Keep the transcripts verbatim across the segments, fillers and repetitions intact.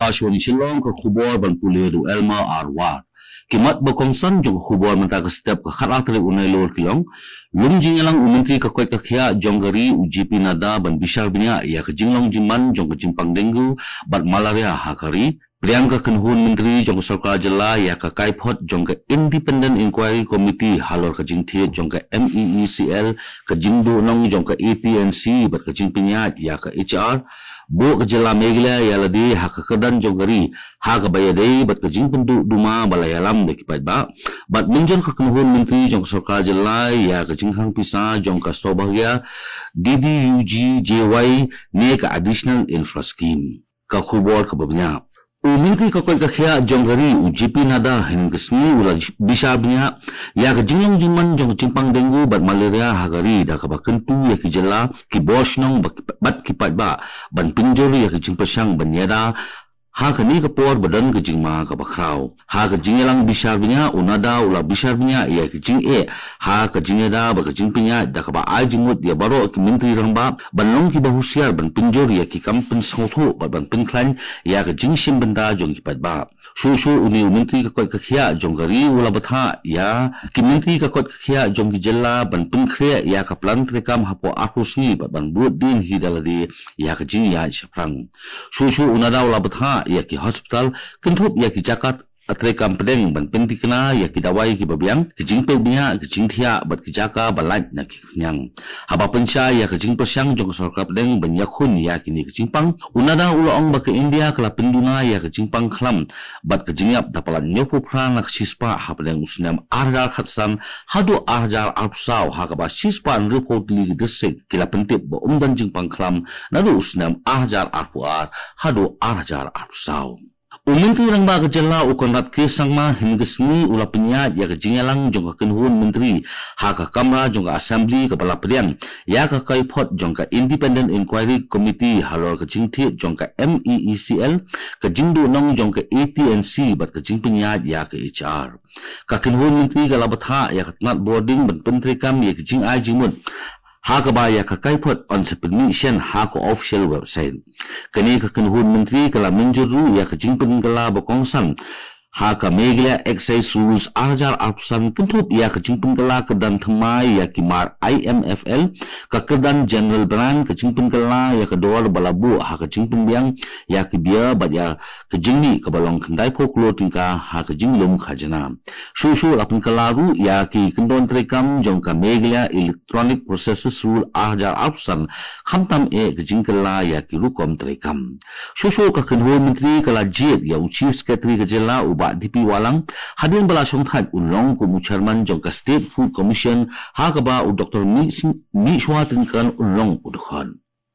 Akashvani Shillong, ka khubor ban pule da u Elmer Arwar. Ki mat ba kongsan jong ka khubor mynta ka step ka khatar tarik u Nailur ki long. Lum jingïalang u Myntri ka koit ka khiah jong ka ri u J P Nadda ban bishar bniah ïa ka jinglong jingman jong ka jingpang dengue bad malaria ha ka ri. Pdiang ka kynhun myntri jong ka sorkar jylla ïa ka kaiphod jong ka Independent Inquiry Committee halor ka jingthied jong ka M E E C L, ka jingduhnong jong ka A T and C bad ka jingpynïaid ïa ka H R. Buh ka jylla Meghalaya ïa lade ha ka kyrdan jong ka ri ha kaba ïadei bad ka jingpynduh duma ba la ïalam da ki paidbah. Bad mynjur ka kynhun myntri jong ka sorkar jylla ïa ka jingkhang pisa jong ka Saubhagya D D U G J Y ne ka Additional Infra Scheme. Ka khubor kaba bniah. U Myntri ka koit ka khiah jong ka ri u J P Nadda hynnin ka sngi u la bishar bniah ïa ka jinglong jingman jong ka jingpang dengue bad malaria ha ka ri, da kaba kyntu ïa ki jylla, ki bor shnong bad ki paidbah ban pynjur ïa ka jingpyrshang ban ïada ha kane ka por ba don ka jingma kaba khraw. Ha ka jingïalang bishar bniah, u Nadda u la bishar bniah ïa ka jingeh ha ka jingïada bad ka jingpynïaid, da kaba ai jingmut ïa baroh ki myntri rangbah ban long kiba husiar ban pynjur ïa ki kam pynsngewthuh bad ban pynkhlaiñ ïa ka jingshim bynta jong ki paidbah. Shuh shuh une u Myntri ka koit ka khiah jong ka ri u la bthah ïa ki myntri ka koit ka khiah jong ki jylla ban pynkhreh ïa ka plan treikam hapoh arphew sngi bad ban bud dien hi da lade ïa ka jingïaid shaphrang. Shuh shuh u Nadda u la bthah ïa ki hospital, kynthup ïa ki jaka treikam pdeng ban pynthikna ïa ki dawai kiba biang, ki jingpeit bniah, ki jingthiah bad ki jaka ba lait na ki khñiang. Haba pynshai ïa ka jingpyrshang jong ka sorkar pdeng ban ïakhun ïa kine ki jingpang, u Nadda u la ong ba ka India ka la pynduna ïa ka jingpang khlam bad ka jingïap da palat hynñiewphew phra na ka shispah hapdeng u snem ar hajar khatsan haduh ar hajar arphew saw, ha kaba shispah hynriewphew tylli ki district ki la pyntip ba ym don jingpang khlam naduh u snem ar hajar arphew ar haduh ar hajar arphew saw. U Myntri Rangbah ka jylla u Conrad K Sangma hynnin ka sngi u la pynïaid ïa ka jingïalang jong ka kynhun myntri ha ka kamra jong ka Assembly kaba la pdiang ïa ka kaiphod jong ka Independent Inquiry Committee halor ka jingthied jong ka M E E C L, ka jingduhnong jong ka A T and C bad ka jingpynïaid ïa ka H R. Ka kynhun myntri ka la bthah ïa ka tnat bording ban pyntreikam ïa ka jingai jingmut ha kaba ïa ka kaiphod yn sa pynmih shen ha ka official website. Kane ka kynhun myntri ka la mynjur ruh ïa ka jingpynkylla ba kongsan ha ka Meghalaya Excise Rules ar hajar arphew san, kynthup ïa ka jingpynkylla kyrdan thymmai ïa ki mar I M F L, ka kyrdan General Brand, ka jingpynkylla ïa ka dor ba la buh ha ka jingpynbiang ïa ki beer bad ïa ka jingmih kaba long khyndaiphew klur tyngka ha ka jinglum khajna. Shuh shuh la pynkylla ruh ïa ki kyndon treikam jong ka Meghalaya Electronic Processes Rule ar hajar arphew san, khamtam eh ka jingkylla ïa ki rukom treikam. Shuh shuh ka kynhun myntri ka la jied ïa u Chief Secretary ka jylla u Bah D P Wahlang, hadien ba la shongthait un long kum u Chairman jong ka State Food Commission, ha kaba u Doctor Mih Sing-, Mihshwa Tynkyrn un long u dkhot.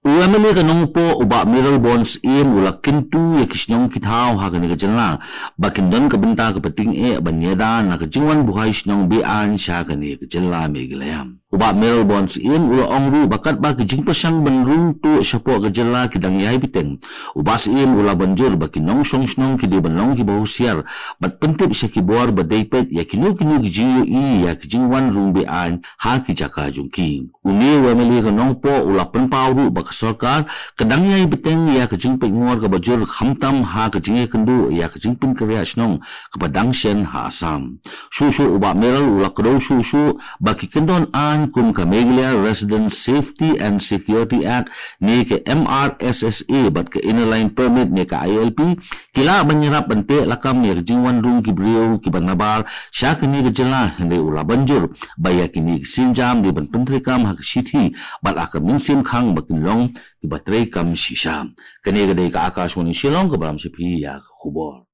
U M L A ka Nongpoh u Bah Mayralborn Syiem u la kyntu ïa ki shnong ki thaw ha kane ka jylla ba kin don ka bynta kaba tyngeh ban ïada na ka jingwan buhai shnong be-aiñ sha kane ka jylla Meghalaya. U Bah Mayralborn Syiem u la ong ruh ba katba ki jingpyrshang ban rung tuh shapoh ka jylla ki dang ïai bteng, u Bah Syiem u la ban jur ba ki nongshong shnong ki dei ban long kiba husiar bad pyntip sha ki bor ba dei peit ïa kino kino ki jingïohi ïa ki jingwan rung be-aiñ ha ki jaka jong ki. Une u M L A ka Nongpoh u la pynpaw ruh ba ka sorkar ka dang ïai bteng ïa ka jingpeitngor kaba jur, khamtam ha ka jingïakynduh ïa ka jingpynkhreh shnong kaba dang shen ha Assam. Shuh shuh u Bah Mayral u la kdew shuh shuh ba ki kyndon aiñ kum ka Meghalaya Resident Safety and Security Act ne ka M R S S A bad ka Inner Line Permit ne ka I L P ki lah ban ïarap ban tehlakam ïa ka jingwan rung ki briew kiba nabar sha kane ka jylla, hynrei u la ban jur ba ïa kine ki sienjam dei ban pyntreikam ha ka shithi bad ha ka mynsiem khang ba kin long kiba treikam shisha. Kane ka dei ka Akashvani Shillong kaba lam sha phi ïa ka khubor.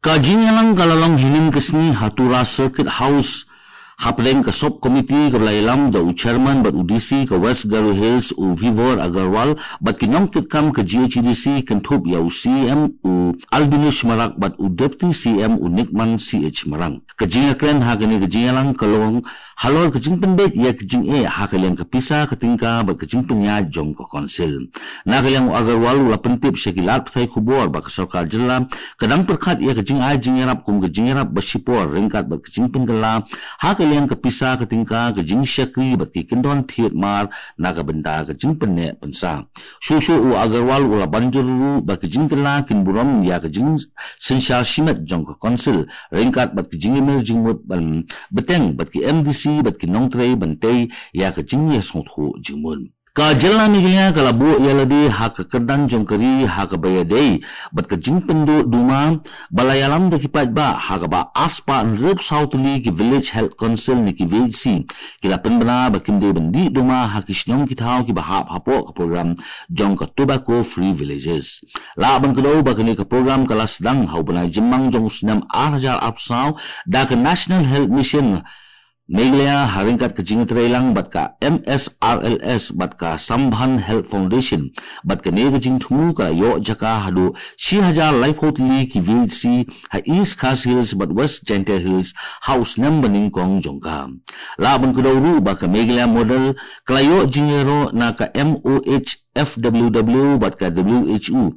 Ka jingïalang ka la long hynnin ka sngi ha Tura Circuit House, hapdeng ka sub committee kaba la ïalam da u chairman bad u D C ka West Garo Hills u Vibhor Agarwal bad ki nongkitkam ka G H A D C, kynthup ïa u C M u Albinus Marak bad u Deputy C M u Nikman C H Marak. Ka jingïakren ha kane ka jingïalang ka long halor ka jingpynbeit ïa ka jingeh ha ka liang ka pisa ka tyngka bad ka jingpynïaid jong ka council. Na ka liang u Agarwal u la pyntip sha ki lad pathai khubor ba ka sorkar jylla ka dang pyrkhat ïa ka jingai jingïarap kum ka jingïarap ba shipor ryngkat bad ka jingpynkylla ha ka liang ka pisa ka tyngka, ka jingshakri bad ki kyndon thied mar na ka bynta ka jingpynneh pynsah. Shuh shuh u Agarwal u la ban jur ruh ba ka jingkylla kin burom ïa ka jingsynshar shimet jong ka council ryngkat bad ka jingïamir jingmut ban bteng bad ki M D C bad ki nongtrei ban tei ïa ka jingïasngewthuh jingmut. Ka jylla Meghalaya ka la buh ïa lade ha ka kyrdan jong ka ri ha kaba ïadei bad ka jingpynduh duma ba la ïalam da ki paidbah ha kaba arspah hynriewphew saw tylli ki Village Health Council ne ki V H C ki la pynbna ba kim dei ban dih duma ha ki shnong ki thaw kiba hap hapoh ka program jong ka Tobacco Free Villages. Lah ban kdew ba kane ka program ka la sdang ha u bnai Jymmang jong u snem ar hajar arphew saw da ka National Health Mission Meghalaya ha ryngkat ka jingïatreilang bad ka M S R L S bad ka Sambandh Health Foundation, bad kane ka jingthmu ka la ïoh jaka haduh shi hajar laiphew tylli ki V H C ha East Khasi Hills bad West Jaintia Hills ha u snem ba nyngkong jong ka. Lah ban kdew ruh ba ka Meghalaya Model ka la ïoh jingïaroh na ka M O H F W W bad ka W H O,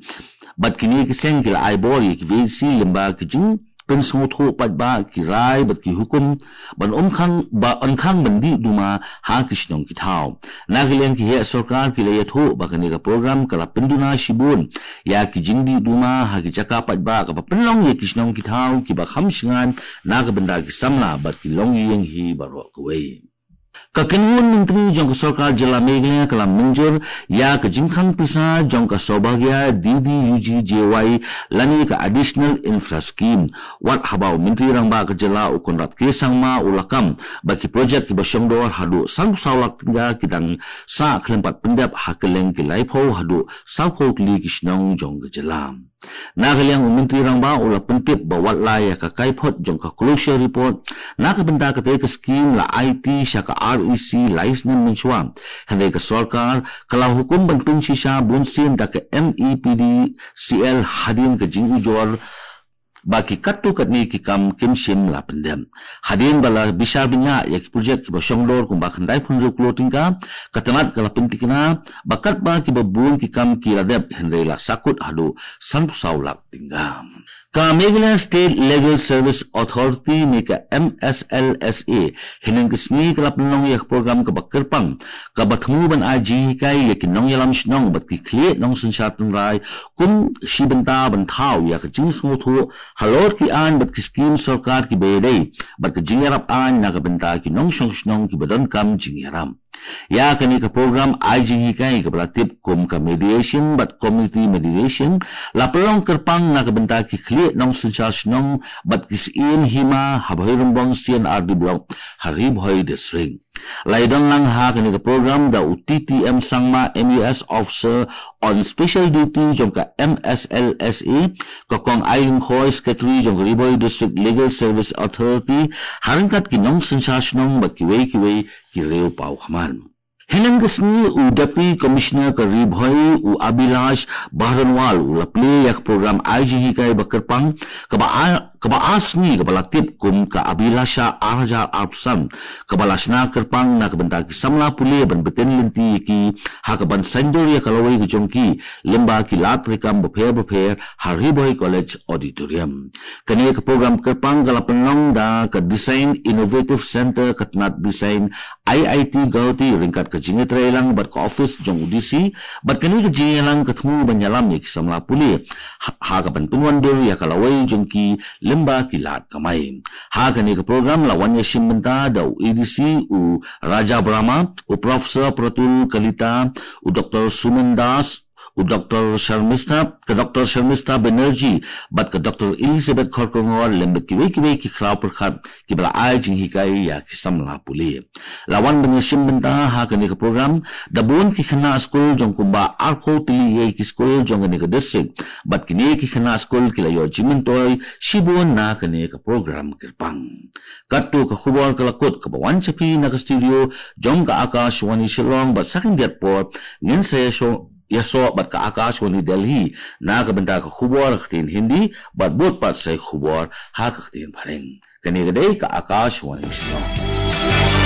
bad kine ki seng ki la ai bor ïa ki V H C lyngba ki jingpynsngewthuh paidbah, ki rai bad ki hukum ban ym khang, ba yn khang ban dih duma ha ki shnong ki thaw. Na ka liang ki heh sorkar ki la ïathuh ba kane ka program ka la pynduna shibun ïa ki jingdih duma ha ki jaka paidbah, kaba pynlong ïa ki shnong ki thaw kiba kham shngaiñ na ka bynta ki samla bad ki longïing hi baroh kawei. Ka kynhun myntri jong ka sorkar jylla Meghalaya ka la mynjur ïa ka jingkhang pisa jong ka Saubhagya D D U G J Y lane ka Additional Infra Scheme. Wat haba u Myntri Rangbah ka jylla u Conrad K Sangma u la kam ba ki projek kiba shongdor haduh sanphew saw lak tyngka ki dang sah khlem pat pyndep ha kylleng ki laiphew haduh sawphew tylli ki shnong jong ka jylla. Na ka liang u Myntri Rangbah u la pyntip ba wat la ïa ka kaiphod jong ka closure report na ka bynta katei ka skhim la aiti sha ka R E C lai snem mynshuwa. Hynrei ka sorkar ka la hukum ban pynshisha bunsien da ka M E P D C L hadien ka jingujor ba ki katto katne ki kam kim shym la pyndep. Hadien ba la bishar bniah ïa ki projek kiba shongdor kumba khyndai phew hynriew klur tyngka, ka tnat ka la pyntikna ba katba kiba bun ki kam ki la dep, hynrei la sahkut haduh sanphew saw lak tyngka. Ka Meghalaya State Legal Service Authority ne ka M S L S A hynne ka sngi ka la pynlong ïa ka program kaba kyrpang kaba thmu ban ai jinghikai ïa ki nongïalam shnong bad ki khlieh nongsynshar tynrai kum shi bynta ban thaw ïa ka jingsngewthuh halor ki aiñ bad ki skhim sorkar kiba ïadei bad ka jingïarap aiñ na ka bynta ki nongshong shnong kiba donkam jingïarap. Ïa kane ka program ai jinghikai kaba la tip kum ka mediation bad community mediation la pynlong kyrpang na ka bynta ki khlieh nongsynshar shnong bad ki syiem hima ha Bhoirymbong C and R D Block ha Ri Bhoi District. La ïadon lang ha kane ka program da u T T M Sangma, M A S Officer on Special Duty jong ka M S L S A, ka Kong Ai Lyngkhoi, Secretary jong ka Ri Bhoi District Legal Service Authority, ha ryngkat ki nongsynshar shnong bad kiwei kiwei ki riew paw khmat. Hynne ka sngi u Deputy Commissioner ka Ri Bhoi u Abhilash Baharonwal u la plie ïa ka program ai jinghikai ba kyrpang kaba a kaba ar sngi kaba la tip kum ka Abhilasha ar hajar arphew san, kaba la shna kyrpang na ka bynta ki samla pule ban bteng lynti ïa ki ha kaban saiñdur ïa ka lawei ka jong ki lyngba ki lad treikam bapher bapher ha Ri Bhoi College Auditorium. Kane ka program kyrpang ka la pynlong da ka Design Innovative Center, ka tnat Design I I T Guwahati ryngkat ka jingïatreilang bad ka office jong u D C, bad kane ka jingïalang ka thmu ban ïalam ïa ki samla pule ha, ha kaban pynwandur ïa ka lawei jong ki lyngba ki lad kamai. Ha kane ka program la wan ïashim bynta da u A D C u Raja Brahma, u Professor Pratul Kalita, u Doctor Suman Das, u Doctor Sharmistha, ka Doctor Sharmistha Banerjee bad ka Doctor Elizabeth Kharkongor lem bad kiwei kiwei ki khraw pyrkhat kiba la ai jinghikai ïa ki samla pule. La wan ban ïashim bynta ha kane ka program da bun ki khynnah skul jong kumba arphew tylli ïa ki skul jong kane ka district, bad kine ki khynnah skul ki la ïoh jingmyntoi shibun na kane ka program kyrpang. Katto ka khubor ka la kut kaba wan sha phi na ka studio jong ka Akashvani Shillong, bad sa khyndiat por ngin sa ïasoh ïasoh bad ka Akashvani Delhi na ka bynta ka khubor ha ka ktien Hindi bad bud pat sa ïa ka khubor ha ka ktien Phareng. Kane ka dei ka Akashvani Shillong.